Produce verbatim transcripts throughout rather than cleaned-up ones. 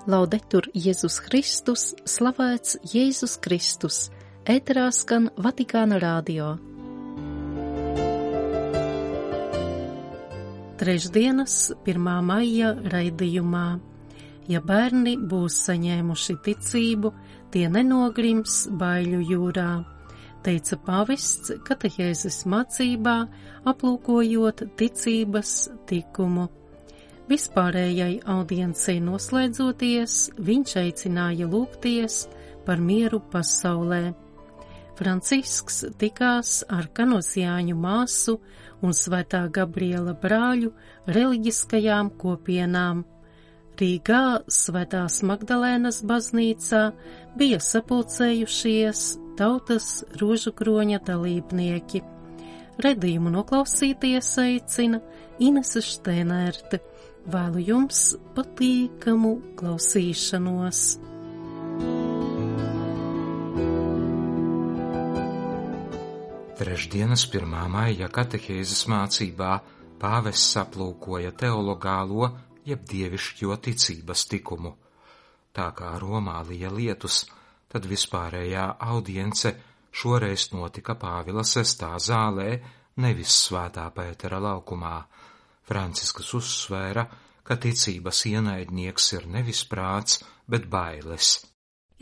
Laudetur Jēzus Kristus, slavēts Jēzus Kristus, ēterā skan Vatikāna radio. Trešdienas pirmā maija raidījumā. Ja bērni būs saņēmuši ticību, tie nenogrims baiļu jūrā, teica pāvests katehēzes mācībā, aplūkojot ticības tikumu. Vispārējai audiencei noslēdzoties, viņš aicināja lūgties par mieru pasaulē. Francisks tikās ar kanosiāņu māsu un Svētā Gabriela brāļu reliģiskajām kopienām. Rīgā Svētās Magdalēnas baznīcā bija sapulcējušies tautas rožukroņa dalībnieki. Redījumu noklausīties aicina Inese Štēnērte. Vēlu jums patīkamu klausīšanos. Trešdienas pirmā maija katehēzes mācībā pāvests aplūkoja teologālo jeb dievišķo ticības tikumu. Tā kā Romā lija lietus, tad vispārējā audience šoreiz notika Pāvila sestā zālē, nevis Svētā Pētera laukumā. Francisks uzsvēra, ka ticības ienaidnieks ir nevis prāts, bet bailes.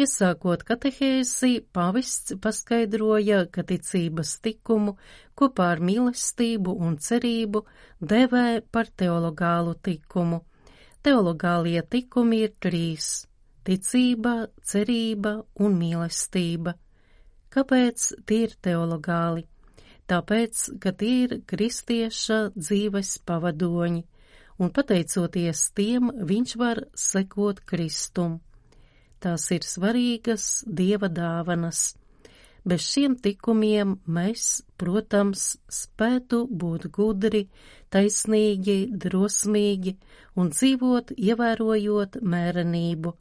Iesākot katehēzi, pāvests paskaidroja, ka ticības tikumu kopā ar mīlestību un cerību devē par teologālu tikumu. Teologālie tikumi ir trīs – ticība, cerība un mīlestība. Kāpēc tie ir teologāli? Tāpēc, ka tie ir kristieša dzīves pavadoņi, un pateicoties tiem, viņš var sekot Kristum. Tās ir svarīgas Dieva dāvanas. Bez šiem tikumiem mēs, protams, spētu būt gudri, taisnīgi, drosmīgi un dzīvot, ievērojot mērenību.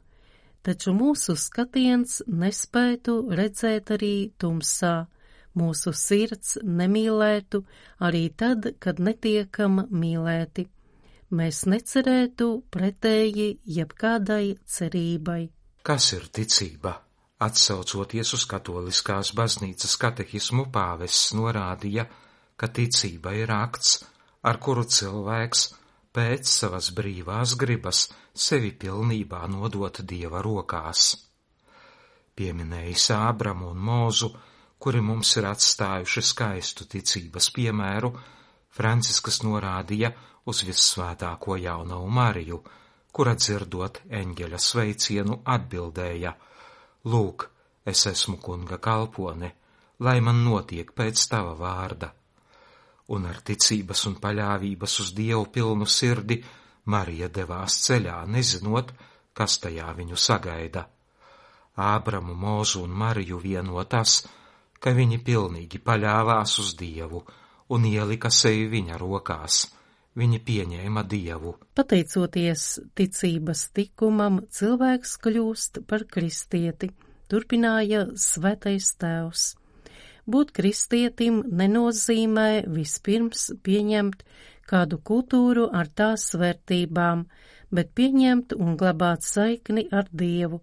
Taču mūsu skatiens nespētu redzēt arī tumsā. Mūsu sirds nemīlētu arī tad, kad netiekam mīlēti. Mēs necerētu pretēji jebkādai cerībai. Kas ir ticība? Atsaucoties uz katoliskās baznīcas katehismu, pāvests norādīja, ka ticība ir akts, ar kuru cilvēks pēc savas brīvās gribas sevi pilnībā nodot Dieva rokās. Pieminējis Ābramu un Mūzu, kuri mums ir atstājuši skaistu ticības piemēru, Francisks norādīja uz vissvētāko jaunavu Mariju, kura dzirdot eņģeļa sveicienu atbildēja: Lūk, es esmu kunga kalpone, lai man notiek pēc tava vārda. Un ar ticības un paļāvības uz Dievu pilnu sirdi Marija devās ceļā, nezinot, kas tajā viņu sagaida. Ābramu, Mūzu un Mariju vieno tas, ka viņi pilnīgi paļāvās uz Dievu un ielika sevi viņa rokās. Viņi pieņēma Dievu. Pateicoties ticības tikumam, cilvēks kļūst par kristieti, turpināja Svētais Tēvs. Būt kristietim nenozīmē vispirms pieņemt kādu kultūru ar tās vērtībām, bet pieņemt un glabāt saikni ar Dievu.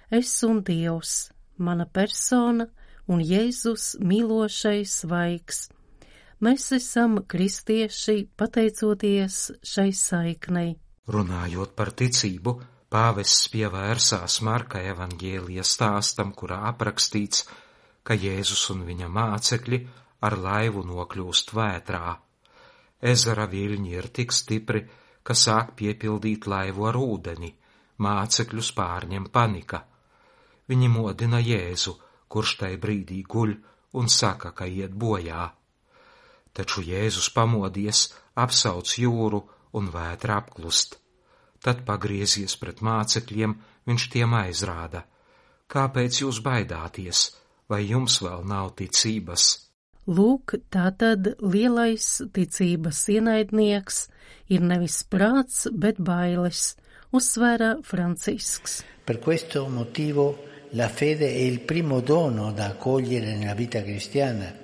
Es un Dievs, mana persona un Jēzus mīlošais svaigs. Mēs esam kristieši pateicoties šai saiknei. Runājot par ticību, pāvests pievērsās Marka evaņģēlija stāstam, kurā aprakstīts, ka Jēzus un viņa mācekļi ar laivu nokļūst vētrā. Ezera viļņi ir tik stipri, ka sāk piepildīt laivu ar ūdeni, mācekļus pārņem panika. Viņi modina Jēzu, kurš tai brīdī guļ un saka, ka iet bojā. Taču Jēzus pamodies, apsauc jūru un vētra apklust. Tad pagriezies pret mācekļiem, viņš tiem aizrāda: Kāpēc jūs baidāties, vai jums vēl nav ticības? Lūk, tātad lielais ticības ienaidnieks ir nevis prāts, bet bailes, uzsvēra Francisks. Per questo motivo la fede è il primo dono da accogliere nella vita cristiana.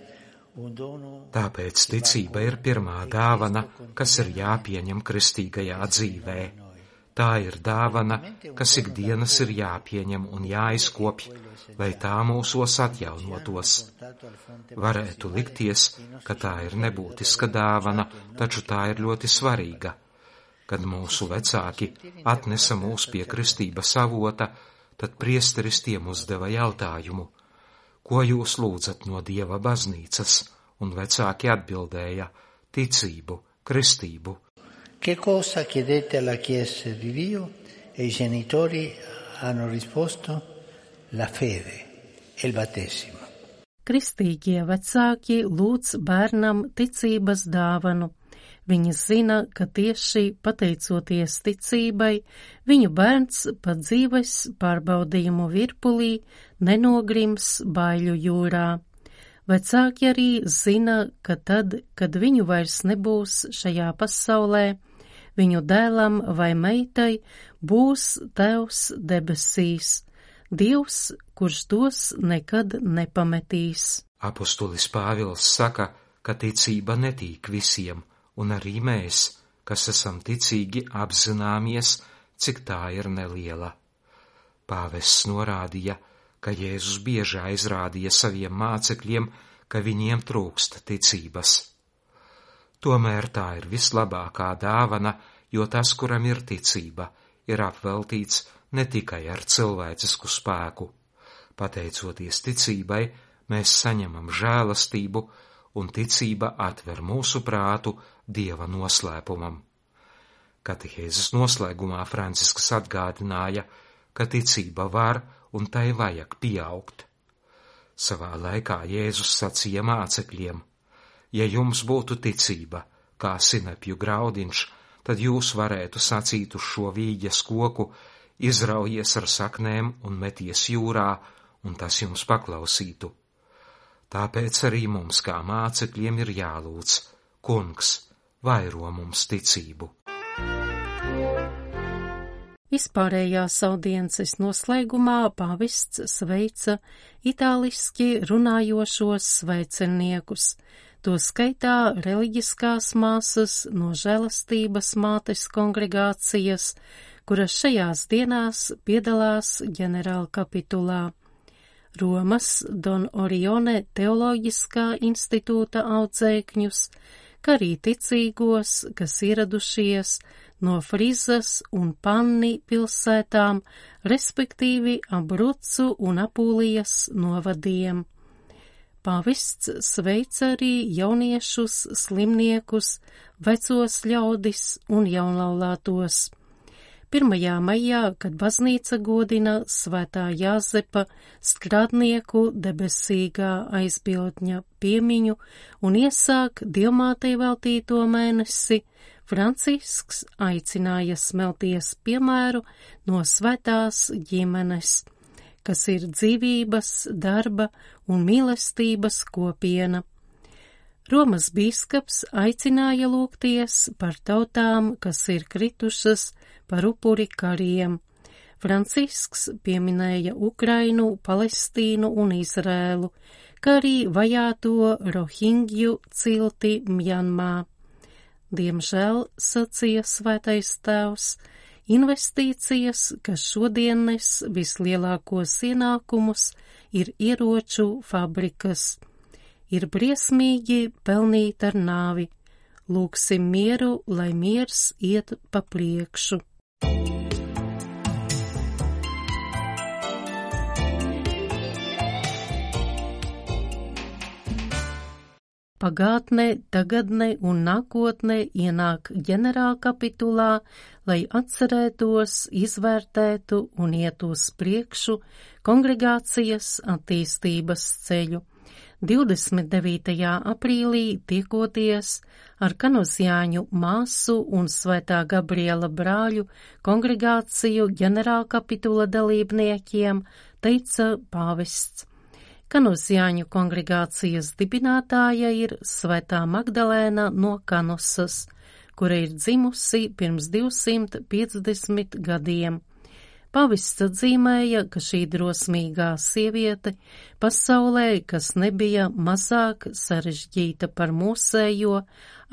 Tāpēc ticība ir pirmā dāvana, kas ir jāpieņem kristīgajā dzīvē. Tā ir dāvana, kas ikdienas ir jāpieņem un jāizkopj, lai tā mūsos atjaunotos. Varētu likties, ka tā ir nebūtiska dāvana, taču tā ir ļoti svarīga. Kad mūsu vecāki atnesa mūs pie kristības avota, tad priesteris tiem uzdeva jautājumu: ko jūs lūdzat no Dieva baznīcas? Un vecāki atbildēja: ticību, kristību. Che cosa chiedete alla Chiesa di Dio? E i genitori hanno risposto: la fede e il battesimo. Kristīgie vecāki lūdz bērnam ticības dāvanu. Viņi zina, ka tieši pateicoties ticībai, viņu bērns pa dzīves pārbaudījumu virpulī nenogrims baiļu jūrā. Vecāki arī zina, ka tad, kad viņu vairs nebūs šajā pasaulē, viņu dēlam vai meitai būs Tēvs debesīs, Dievs, kurš tos nekad nepametīs. Apostolis Pāvils saka, ka ticība netīk visiem, un arī mēs, kas esam ticīgi, apzināmies, cik tā ir neliela. Pāvests norādīja, ka Jēzus bieži aizrādīja saviem mācekļiem, ka viņiem trūkst ticības. Tomēr tā ir vislabākā dāvana, jo tas, kuram ir ticība, ir apveltīts ne tikai ar cilvēcisku spēku. Pateicoties ticībai, mēs saņemam žēlastību, un ticība atver mūsu prātu Dieva noslēpumam. Katehēzes noslēgumā Francisks atgādināja, ka ticība var un tai vajag pieaugt. Savā laikā Jēzus sacīja mācekļiem: ja jums būtu ticība, kā sinepju graudiņš, tad jūs varētu sacīt uz šo vīģes koku: izraujies ar saknēm un meties jūrā, un tas jums paklausītu. Tāpēc arī mums kā mācekļiem ir jālūdz: Kungs, vairo mums ticību. Vispārējās audiences noslēgumā pāvests sveica itāliski runājošos sveiciniekus, to skaitā reliģiskās māsas no Žēlastības mātes kongregācijas, kuras šajās dienās piedalās ģenerālkapitulā. Romas Don Orione teoloģiskā institūta audzēkņus, kā arī ticīgos, kas ieradušies no Frizas un Panni pilsētām, respektīvi Abrucu un Apulijas novadiem. Pāvests sveica arī jauniešus, slimniekus, vecos ļaudis un jaunlaulātos. pirmajā maijā, kad baznīca godina Svētā Jāzepa strādnieku debesīgā aizbildņa piemiņu un iesāk Dievmātei veltīto mēnesi, Francisks aicināja smelties piemēru no svētās ģimenes, kas ir dzīvības, darba un mīlestības kopiena. Romas bīskaps aicināja lūgties par tautām, kas ir kritušas par upuri kariem. Francisks pieminēja Ukrainu, Palestīnu un Izrēlu, kā arī vajāto Rohingju cilti Mjanmā. Diemžēl, sacīja svētais tēvs, investīcijas, kas šodien nes vislielākos ienākumus, ir ieroču fabrikas. Ir briesmīgi pelnīt ar nāvi. Lūgsim mieru, lai miers iet pa priekšu. Pagātne, tagadne un nākotne ienāk ģenerālkapitulā, lai atcerētos, izvērtētu un iet uz priekšu kongregācijas attīstības ceļu. divdesmit devītajā aprīlī tiekoties ar Kanozjāņu māsu un Svētā Gabriela brāļu kongregāciju ģenerālkapitula dalībniekiem, teica pāvests. Kanozjāņu kongregācijas dibinātāja ir Svētā Magdalēna no Kanusas, kura ir dzimusi pirms divsimt piecdesmit gadiem. Pāvests atzīmēja, ka šī drosmīgā sieviete pasaulē, kas nebija mazāk sarežģīta par mūsējo,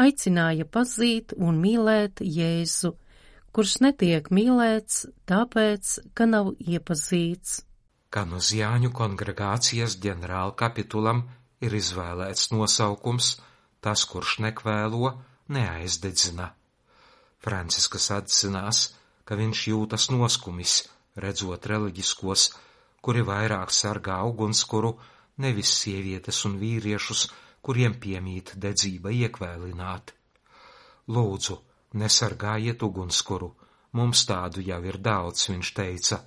aicināja pazīt un mīlēt Jēzu, kurš netiek mīlēts, tāpēc, ka nav iepazīts. Kanuzjāņu kongregācijas ģenerāla kapitulam ir izvēlēts nosaukums Tas, kurš nekvēlo, neaizdedzina. Franciskas atzinās, ka viņš jūtas noskumis, redzot reliģiskos, kuri vairāk sargā ugunskuru, nevis sievietes un vīriešus, kuriem piemīt dedzība iekvēlināt. Lūdzu, nesargājiet ugunskuru, mums tādu jau ir daudz, viņš teica.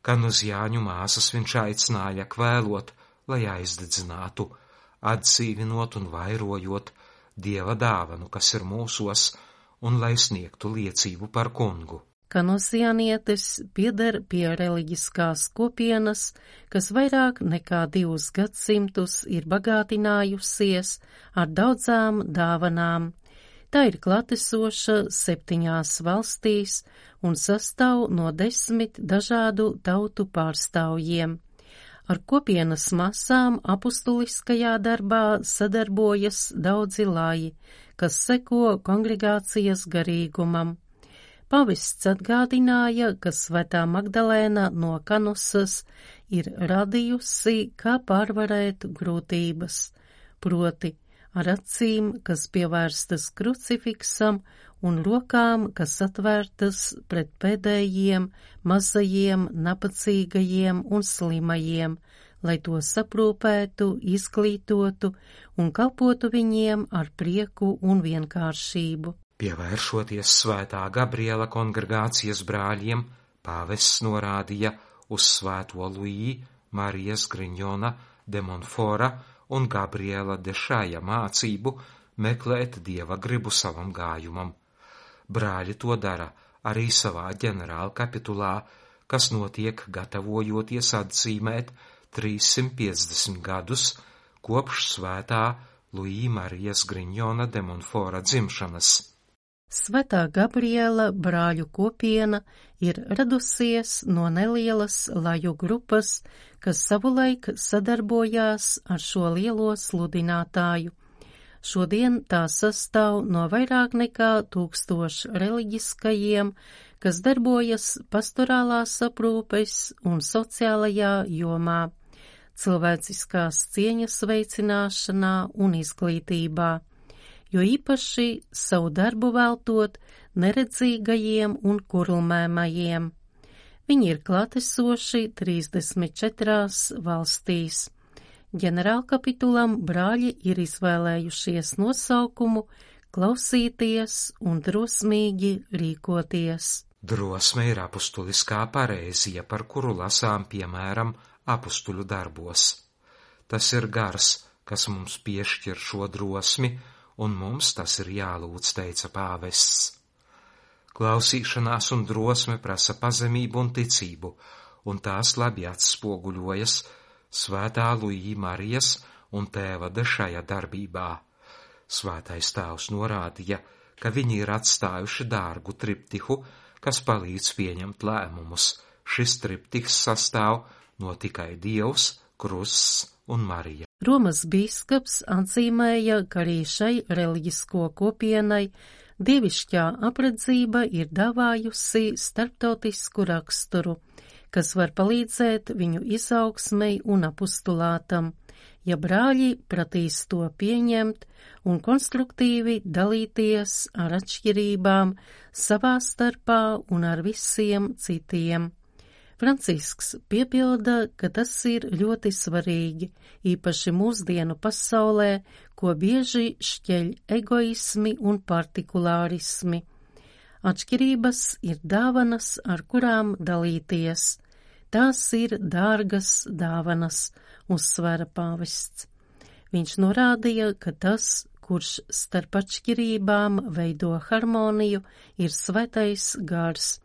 Kanuzjāņu māsas viņš aicināja kvēlot, lai aizdedzinātu, atdzīvinot un vairojot Dieva dāvanu, kas ir mūsos, un lai sniegtu liecību par kungu. Kanuzjānietis pieder pie reliģiskās kopienas, kas vairāk nekā divus gadsimtus ir bagātinājusies ar daudzām dāvanām. Tā ir klātesoša septiņās valstīs un sastāv no desmit dažādu tautu pārstāvjiem. Ar kopienas masām apustuliskajā darbā sadarbojas daudzi laji, kas seko kongregācijas garīgumam. Pavests atgādināja, ka Svētā Magdalēna no Kanusas ir radījusi, kā pārvarēt grūtības, proti ar acīm, kas pievērstas krucifiksam, un rokām, kas atvērtas pret pēdējiem, mazajiem, nabadzīgajiem un slimajiem, lai to saprūpētu, izglītotu un kalpotu viņiem ar prieku un vienkāršību. Pievēršoties Svētā Gabriela kongregācijas brāļiem, pāvests norādīja uz Svēto Luī, Marijas Griņona de Monfora un Gabriela de Šaja mācību meklēt Dieva gribu savam gājumam. Brāļi to dara arī savā ģenerāla kapitulā, kas notiek gatavojoties atzīmēt trīssimt piecdesmit gadus kopš Svētā Luī Marijas Griņona de Monfora dzimšanas. Svētā Gabriela brāļu kopiena ir radusies no nelielas laju grupas, kas savulaik sadarbojās ar šo lielo sludinātāju. Šodien tā sastāv no vairāk nekā tūkstošu reliģiskajiem, kas darbojas pastorālās aprūpes un sociālajā jomā, cilvēciskās cieņas veicināšanā un izglītībā, jo īpaši savu darbu veltot neredzīgajiem un kurlmēmajiem. Viņi ir klātesoši trīsdesmit četrās valstīs. Ģenerālkapitulam brāļi ir izvēlējušies nosaukumu klausīties un drosmīgi rīkoties. Drosme ir apustuliskā pareizija, par kuru lasām piemēram apustuļu darbos. Tas ir gars, kas mums piešķir šo drosmi, un mums tas ir jālūdz, teica pāvests. Klausīšanās un drosme prasa pazemību un ticību, un tās labi atspoguļojas Svētā Luī Marijas un tēva Dešaja darbībā. Svētais tēvs norādīja, ka viņi ir atstājuši dārgu triptihu, kas palīdz pieņemt lēmumus. Šis triptihs sastāv no tikai Dievs, krusts un Marija. Romas bīskaps atzīmēja, ka arī šai reliģisko kopienai dievišķā apredzība ir dāvājusi starptautisku raksturu, kas var palīdzēt viņu izaugsmei un apustulātam, ja brāļi pratīs to pieņemt un konstruktīvi dalīties ar atšķirībām savā starpā un ar visiem citiem. Francisks piebilda, ka tas ir ļoti svarīgi, īpaši mūsdienu pasaulē, ko bieži šķeļ egoismi un partikulārismi. Atšķirības ir dāvanas, ar kurām dalīties. Tās ir dārgas dāvanas, uzsvēra pāvests. Viņš norādīja, ka tas, kurš starp atšķirībām veido harmoniju, ir svētais gars,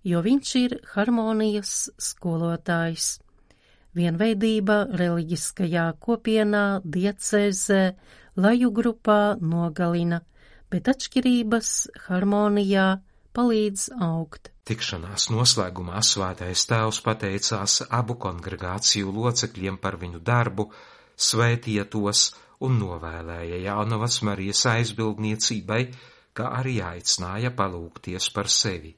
jo viņš ir harmonijas skolotājs. Vienveidība reliģiskajā kopienā, diecēzē, laju grupā nogalina, bet atšķirības harmonijā palīdz augt. Tikšanās noslēgumā Svētais tēvs pateicās abu kongregāciju locekļiem par viņu darbu, svētīja tos un novēlēja Jaunavas Marijas aizbildniecībai, kā arī aicināja palūgties par sevi.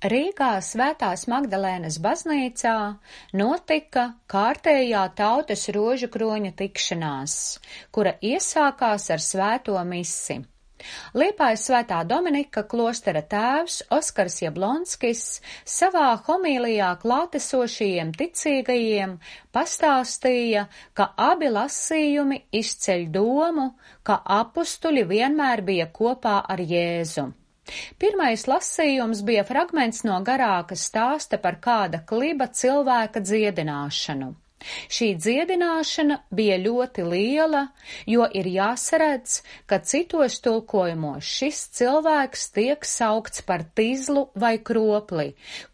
Rīgā Svētās Magdalēnas baznīcā notika kārtējā tautas rožu kroņa tikšanās, kura iesākās ar svēto misi. Liepājas Svētā Dominika klostera tēvs Oskars Jablonskis savā homīlijā klātesošajiem ticīgajiem pastāstīja, ka abi lasījumi izceļ domu, ka apustuļi vienmēr bija kopā ar Jēzu. Pirmais lasījums bija fragments no garāka stāsta par kāda kliba cilvēka dziedināšanu. Šī dziedināšana bija ļoti liela, jo ir jāsaredz, ka citos tulkojumos šis cilvēks tiek saukts par tizlu vai kropli,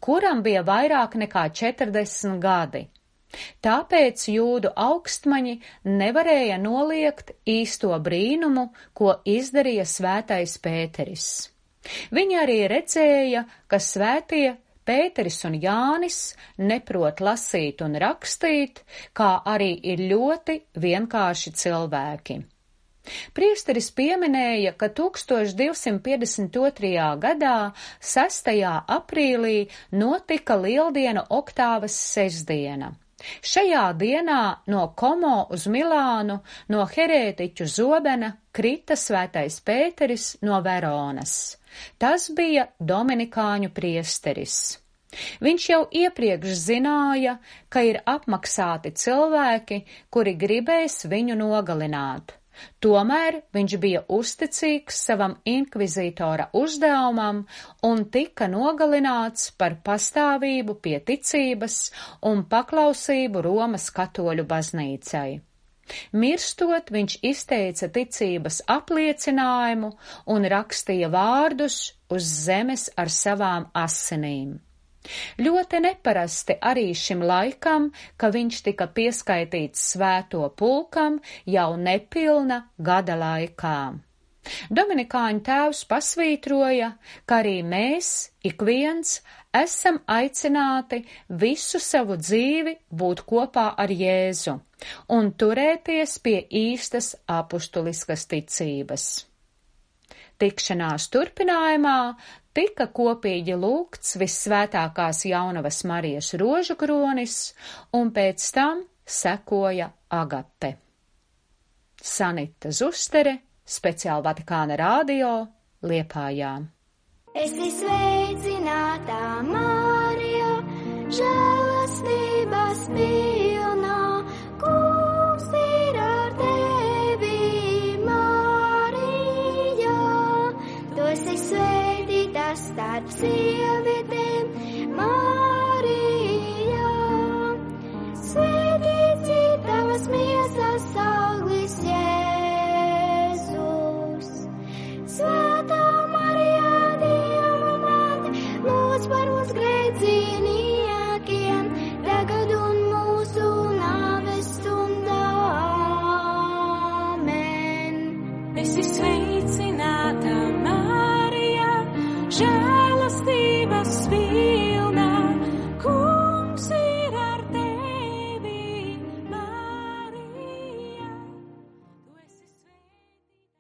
kuram bija vairāk nekā četrdesmit gadi. Tāpēc jūdu augstmaņi nevarēja noliegt īsto brīnumu, ko izdarīja svētais Pēteris. Viņi arī redzēja, ka svētie Pēteris un Jānis neprot lasīt un rakstīt, kā arī ir ļoti vienkārši cilvēki. Priesteris pieminēja, ka tūkstoš divsimt piecdesmit otrajā gadā, sestajā aprīlī, notika Lieldienu oktāvas sestdiena. Šajā dienā no Komo uz Milānu, no herētiķu zobena, krita svētais Pēteris no Veronas. Tas bija dominikāņu priesteris. Viņš jau iepriekš zināja, ka ir apmaksāti cilvēki, kuri gribēs viņu nogalināt. Tomēr viņš bija uzticīgs savam inkvizītora uzdevumam un tika nogalināts par pastāvību pie ticības un paklausību Romas katoļu baznīcai. Mirstot, viņš izteica ticības apliecinājumu un rakstīja vārdus uz zemes ar savām asinīm. Ļoti neparasti arī šim laikam, ka viņš tika pieskaitīts svēto pulkam jau nepilna gada laikā. Dominikāņu tēvs pasvītroja, ka arī mēs, ik viens, esam aicināti visu savu dzīvi būt kopā ar Jēzu un turēties pie īstas apustuliskas ticības. Tikšanās turpinājumā tika kopīgi lūgts Vissvētākās Jaunavas Marijas rožu kronis, un pēc tam sekoja agape. Sanita Zustere, speciāli Vatikāna radio, Liepājā. Esi sveicināta, Marija, žēlastības pilnā, Kungs ir ar tevi, Marija. Tu esi svētīta starp sievietēm, Marija. Svētīts ir tavas miesas auglis, Jēzus. Svētā Marija, Dieva māte, lūdz par mums grēciniekiem, tagad un mūsu nāves stundā. Amen. Esi sveicināta,